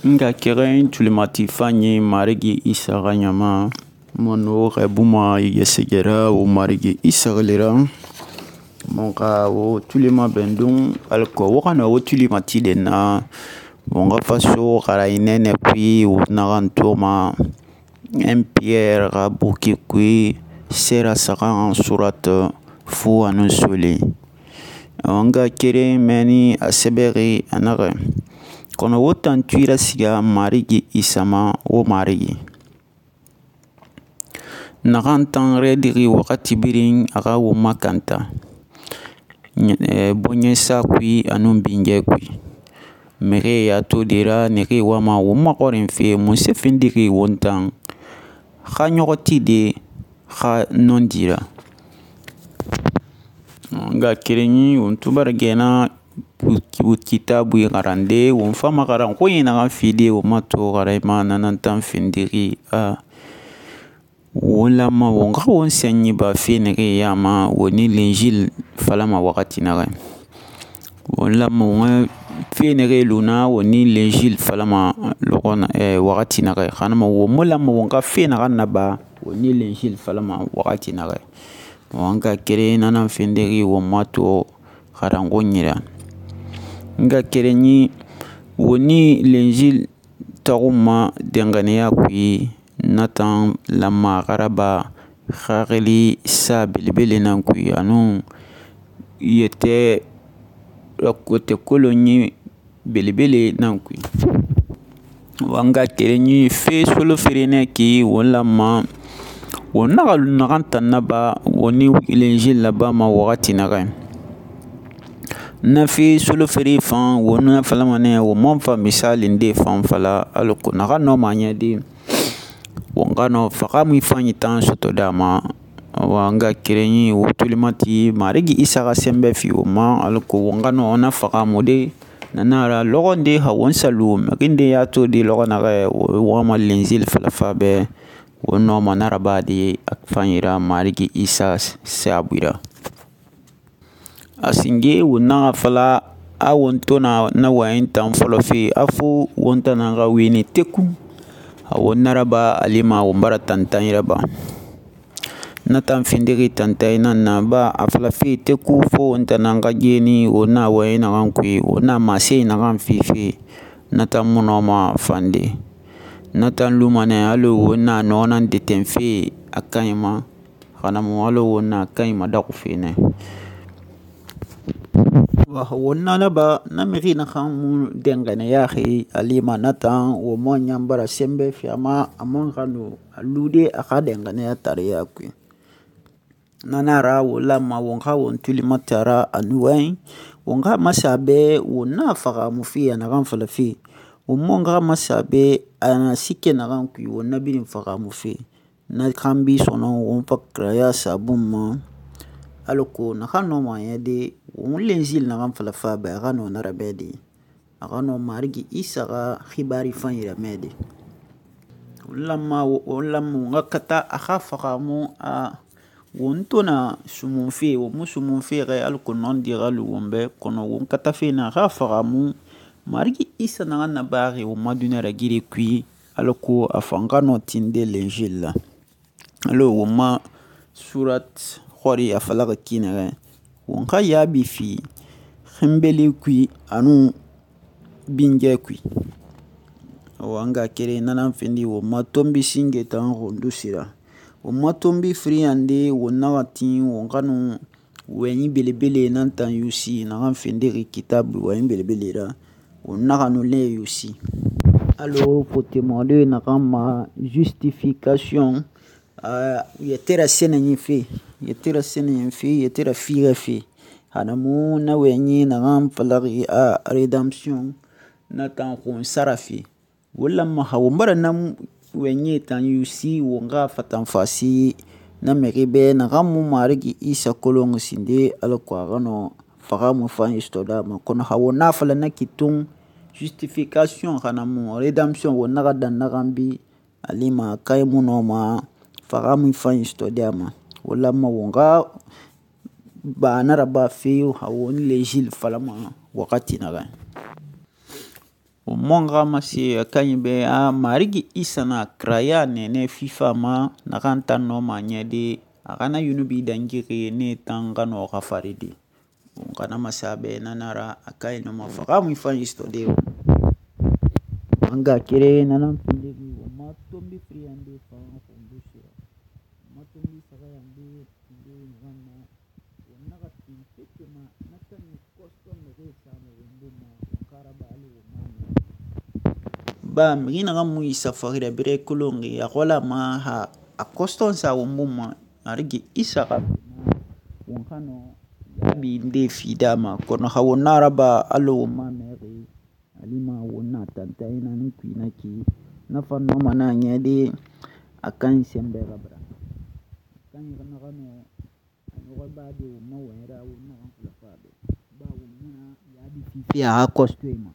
Nga keren tulimati fanyi Marigi Isa xa ɲama mono xɛbuma yesegera wo Marigi Isa lera mon xa wo tulima bɛndun alko wo xana wo tulimati de na mon xa faso xara inɛnɛ kui wo naxan toma 1 Pierre xa buki kui sera saxan surat fu anun sole nga keren mɛni a sɛbɛxi a naxɛ kono wo tantui rasiga Marigi Isa ma wo Marigi naxan tan rɛdixi waxati birin a xa wo makanta bɔɲɛsa kui anun binjɛ kui mixie ya to de ra nixi wama wo maxɔrinfe munse findixi won tan xa ɲɔxɔti de xa nɔndi ra nga kerenyi won to bara gɛna kitabui xarande won fama xaran xoɲe naxan fide wo ma to xarayma nanan tan findixi won lamma won xa won sɛnɲi ba fe nixi yama woni linjil falama waxati naxɛ won lamma won fe nixi luna woni linjil falama waxati naxɛ xanama won mu lamma won xa fe naxan naba woni linjil falama waxati naxɛ won ka kere nanan findixi won ma to xaran xoɲira nga kerenyi woni linjil taxuma denganiya kui natan lamma xaraba xaxili sa belebele nan kui anun yɛtɛ kote kolonɲi belebele nan kui wanga kerenyi fe solo ferenɛ ki won lamma won naxa naxan tan naba woni linjil labama waxati naxɛ na fe solo fere fan won na falamanɛ wo man fa misali nde fan fala alako naxa nɔma ɲɛde won xa nɔ faxa mu fanyi tan soto dama wanga kerenyi wo tulimati Marigi Isa xa sɛnbɛ fi wo ma alako won xa nɔ na faxa mu de nanara lɔxɔ nde xa won salu mixi nde ya to de lɔxɔ naxɛ wama linjil falafa bɛ won nɔma naraba de a fanyira Marigi Isa sabuira a singe won naxa fala a won to na wayin tan fɔlɔ fe a fo won tanan xa wene teku a won naraba alima won bara tantan yiraba na tan findixi tantan nan na ba a fala fe teku fo won tanan xa geni won na wayin naxan kui won na mase naxan fife na tan mu nɔma fande na tan lumanɛ alo won na nɔnan deten fe a kaɲi ma xanamu alo won na kaɲi ma daxu fe nɛ won na laba na mixi naxan mu denganiyaxi alima na tan wo mon ɲan bara sɛnbɛ fi a man xa no a lude a xa denganiya tariya kui nanara won lamma won xa won tulimatara a nuwayin won xa masa bɛ won na faxamu fe a naxan fala fe won mon xa masa bɛ a na sike naxan kui won na birin faxamu fe na xanbi sɔnɔ won fakiraya sabun ma alako naxan nɔma ɲɛde won linjil naxan falafa bɛ a xa nɔ narabɛ de a xa nɔ Marigi Isa xa xibari fan yiramɛ de won lamma won xa kata a xa faxamu won to na sumunfe won mu sumunfe xɛ alako nɔndi xa lu won bɛ kɔnɔ won kata fe na a xa faxamu Marigi Isa naxan nabaxi won ma duniya ragire kui alako a fan xa nɔ tinde linjil la alo won ma surat xɔri a falaxa ki nɛxɛ won xa yaabi fi xinbeli kui anun binjɛ kui wanga kere nanan findi won ma tonbi singe tan xondu sira won ma tonbi firiyande won naxa tin won xa nu wɛɲi belebele nan tan yusi naxan findixi kitabu wɛɲi belebele ra won naxa nu le yusi alo fotemɔde naxan ma justification yɛtɛra sɛnɛɲi fe yɛtɛra sɛnɛɲi fe yɛtɛra fiixɛ fe hanamu na wɛɲi naxan falaxi a redemption na tan xun sara fe won lamma xa won bara na wɛɲi tan yusi won xa fatan fasi na mixi bɛ naxan mu Marigi Isa kolonxi sinde alako a xa nɔ faxa mu fan sɔtɔ dama kɔnɔ xa won na fala na kitun justification hanamu redemption won naxa dan naxan bi alima kaɲi mu nɔma faxa mu fan sɔtɔ dama won lamma won xa ba naraba fe xa won linjil falama waxati naxɛ won monga mase a kanyi be a marigi isa na kraya nene fifa ma nakan tan no ma nyede a kana yunubi dangiri ne tan gano gafaridi kana masabe nanara a kanyi no ma faga mu fan isto de anga kire nanan findigi wa ma tombi friyande fa ko shira ma tombi saga yande inde nganna wannan ga tin fike ma nakan kosto me ge samu wumbu ma karaba ali wa ma ba mi na ga mu isa fagira bire kulongi ya kola ma ha a kosto sa wumbu ma arigi isa ka wonkano yabi inde fidama kono ha wonara ba alo ma mere alima wonna tanta ina nuki naki na fanno mana nyede akan sembe gabra kan yana gano ayo ba de ma wera wonna kan kula fabe ba wonna ya bi fifi a costume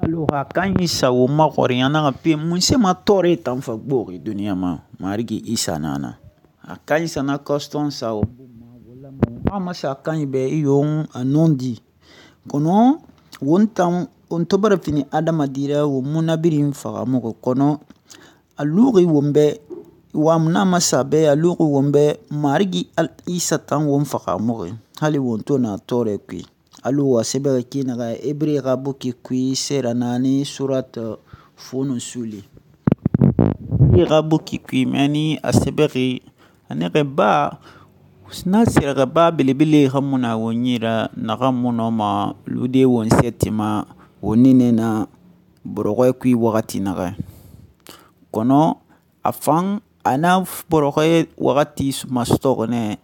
alo ha kan isa wo ma kori yana ga pe mun se ma tore tan fa gbori duniya ma marigi isa nana akan isa na costume sa wo ma wala ma sa kan be yon anondi kono wontan on to bara fini adama dira wo munabirin faga mo kono aluri wombe wa muna masabe aluri wombe marigi al isa tan won faga mo hali won to na tore kwi alu wa sebe ki na ga ebre ga buki kwi sera nani surat funu suli ga buki kwi mani aseberi ane ba na sera ba bilibili hamuna wonyira na gamuno ma lude won setima woni ne na borogoy kui wakati naga kono afan ana borogoy wakati mastoro ne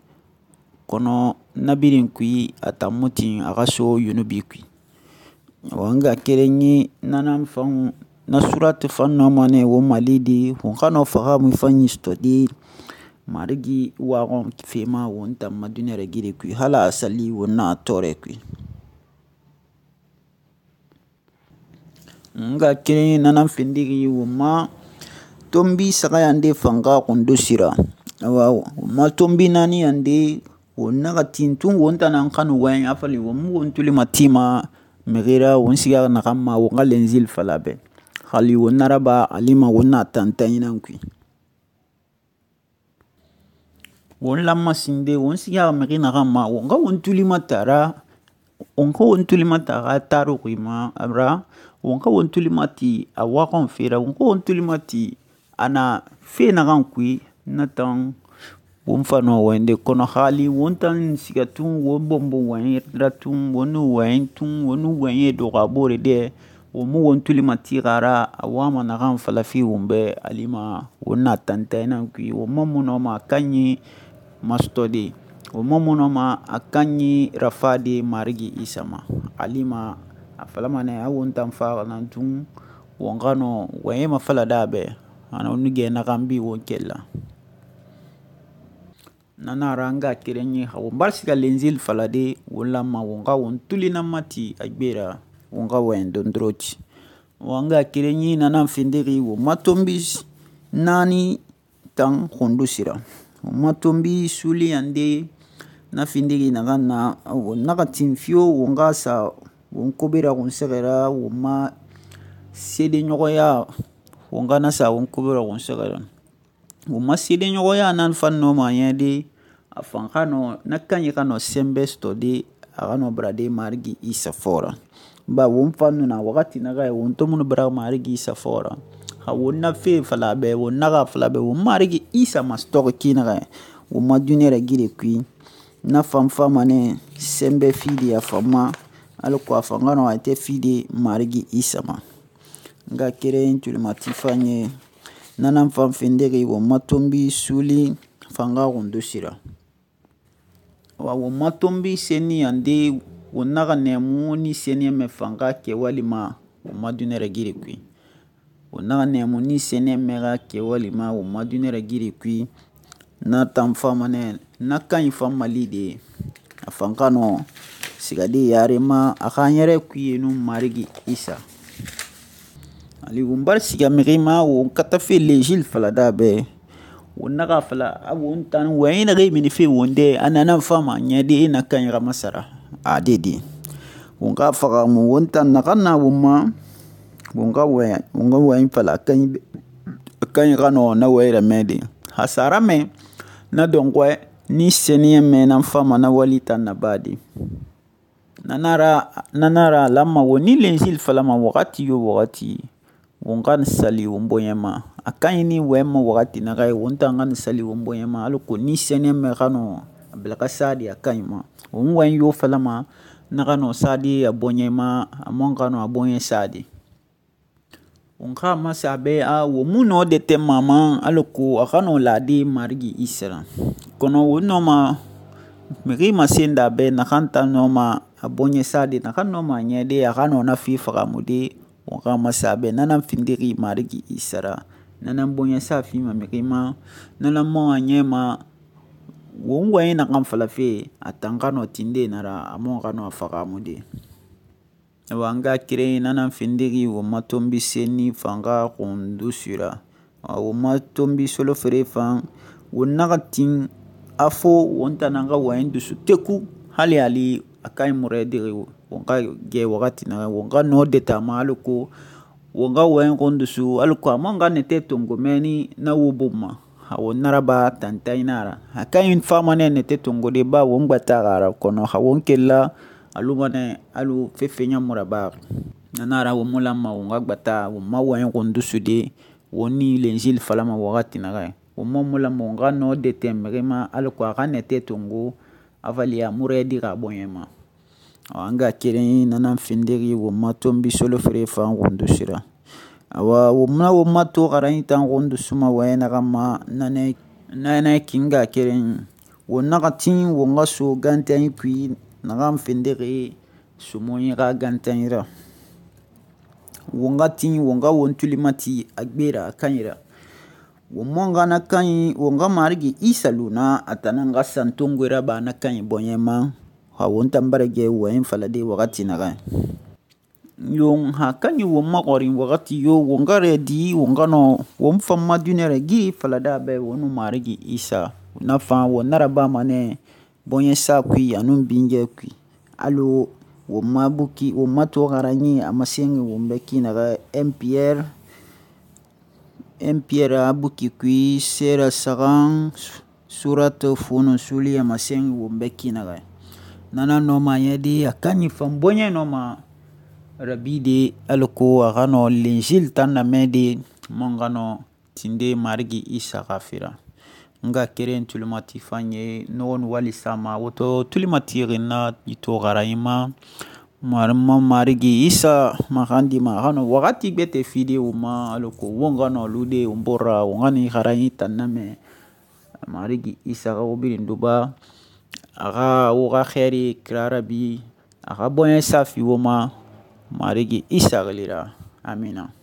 kono nabirin kui atamuti agaso yunubi kui wanga kerenyi nanam fan na surat fan no mane wo malidi won kano faga mu fan stodi marigi wagon fema won tamma dunere gire kui hala asali wonna tore kui nga kire nanan findigi wuma tombi saga yande fanga kundo sira awa ma tombi nani yande wonna ga tintun wonta nan kanu wayan afali wumu wontuli matima megira won siga na kamma wonga lenzil falabe khali wonna raba alima wonna tantayinan kui won lamma sinde won siga megina kamma wonga wontuli matara onka wontuli matara taru kuima abra wonka wontuli mati a wakon fera wonka wontuli mati ana fe na kan kui natan won fano wende kono hali wontan sigatun won bombo wan ratun wonu wan tun wonu wan do gabore de wo mu wontuli mati gara awama na kan falafi wombe alima wonna tantana kui wo mamuno ma kanyi mastodi wo mamuno ma akanyi rafadi marigi isama alima afalama ne awon tan fa nan tun wongano waye ma fala dabe ana onige na gambi won kella nana ranga kirenyi hawo barsiga lenzil falade wala ma wonga won tulina mati agbera wonga wen dondrochi wonga kirenyi nana findiri wo matombis nani tan khondusira wo matombi suli ande na findiri na wonaka timfio wonga sa won kobera won segera won ma sede nyogoya wonga na sa won kobera won segera won ma sede nyogoya nan fanno ma yede afan kano nakanyi kano sembe stodi agano brade marigi isa fora ba won fanno na wakati naga won to mun bra marigi isa fora ha won na fe falabe won naga falabe won marigi isa mastor kinaga won ma dunere gire kui na famfa mane sembe fidi afama alko afangano ate fide marigi isama nga kere intuli matifanye nanan fam findegi wo matombi suli fanga gondosira wa matombi seni ande wonaga nemu ni seni me fanga ke walima wo madunere giri kui wonaga nemu ni seni mega ke walima wo madunere giri kui na tamfa mane nakan fam malide afangano sigadi yarema akanyere kuyenu marigi isa ali wumbar siga mirima won katafe lejil falada be wonaga fala awon tan wayna ge mini fe wonde anana fama nyade ina kanyera masara adedi won ka faga mu wontan nakana wumma won ga wɔyɛn fala a kanyi xa nɔ na wɔyi ramɛde. Ha sa ramɛ na dɔnxɔɛ ni sɛniyɛnmɛ nan fama na wali tan nabade. Na na ra a lanma won ni lenzili falama waxati yo waxati won xa sali won bɔɲɛ ma. A kanyi ni wɔyɛnma waxati naxɛ won tan xa sali won bɔɲɛ ma alako ni sɛniyɛnmɛ xa nɔ a bɛlɛ xa sadi a kanyi ma. Won wɔyɛn yo falama na xa nɔ sadi a bɔɲɛ ma a man xa nɔ a bɔɲɛ sadi. Won xa masa bɛ won mu nɔ de tɛ mama alako a xa nɔ lade Marigi Isa ra. Kɔnɔ won nɔma mixi masen da bɛ naxan ta nɔma a bɔɲɛ sadi naxan nɔma a ɲɛde a xa nɔ na fe fagamude won xa masa bɛ na nan findixi Marigi Isa ra. Na nan bɔɲɛ sa fima mixi ma, na nan mɔn a ɲɛ ma. Won wɔyɛn naxan falafe a tan xa nɔ tinde na ra a mɔn xa nɔ a fagamude. Awa an ga keren na nan findixi won ma tɔnbi senni fan xa xundusi ra. Won ma tɔnbi solofere fan won naxa tin a fo won tan nan xa wɔyɛn dusu teku hali a kanyi murɛdixi won xa gɛ waxati naxɛ won xa nɔ de ta ma alako won xa wɔyɛn xundusu alako a man xa nɛtɛ tongo mɛni na wo bun ma. Won naraba tantanyi na ra. A kanyi fama nɛ nɛtɛ tongode ba won gbata xa ra kɔnɔ xa won kela a luma nɛ alu fefe ɲamu rabaxi. Na na ra won mu lanma won xa gbata won ma wɔyɛn xundusu de won ni lenzili falama waxati naxɛ. Won mu lanma won xa nɔ de tɛ mixi ma alako a xa nɛtɛ tongo a vali a murɛdixi a bɔɲɛ ma. An ga keren na nan findixi won ma tɔnbi solofere fan xundusi ra. Awa won ma to xaranyi tan xundusu ma wɔyɛn naxan ma na nɛ kin ga keren won naxa tin won xa so gantanyi kui naxan findixi somonyi xa gantanyi ra. Won xa tin won xa won tuli mati a gbe ra a kanyi ra. Won man xa na kanyi won xa Marigi Isa lu na a tan nan xa santongoe raba na kanyi bɔɲɛ ma xa won tan bara gɛ wɔyɛn falade waxati naxɛ. Yon ha kanyi won maxɔrin waxati yo won xa rɛdi won xa nɔ won fan ma duniya ragiri falada bɛ won nu Marigi Isa. Na fan won naraba ma nɛ bɔɲɛ sa kui anun bingɛ kui. Alo won ma to xaranyi a masenxi won bɛ ki naxɛ 1 Pierre a buki kui sera saxan suratu funu suli a masenxi won bɛ ki naxɛ. Na nan nɔma a ɲɛde a kanyi fan bɔɲɛ nɔma rabide alako a xa nɔ lenzili tan namɛde man xa nɔ tinde Marigi Isa xa fera. N ga keren tulimati fan ye nɔgɔ nu wali sama woto tulimati xinna ito xaranyi ma Marigi Isa maxandi ma a xa nɔ waxati gbɛtɛ fide won ma alako won xa nɔ lude won bɔra won xa ni xaranyi tan namɛ Marigi Isa xa wo birin duba a xa wo xa xɛri kira rabi a xa bɔɲɛ sa fi wo ma Marigi Isa xili ra. Amina.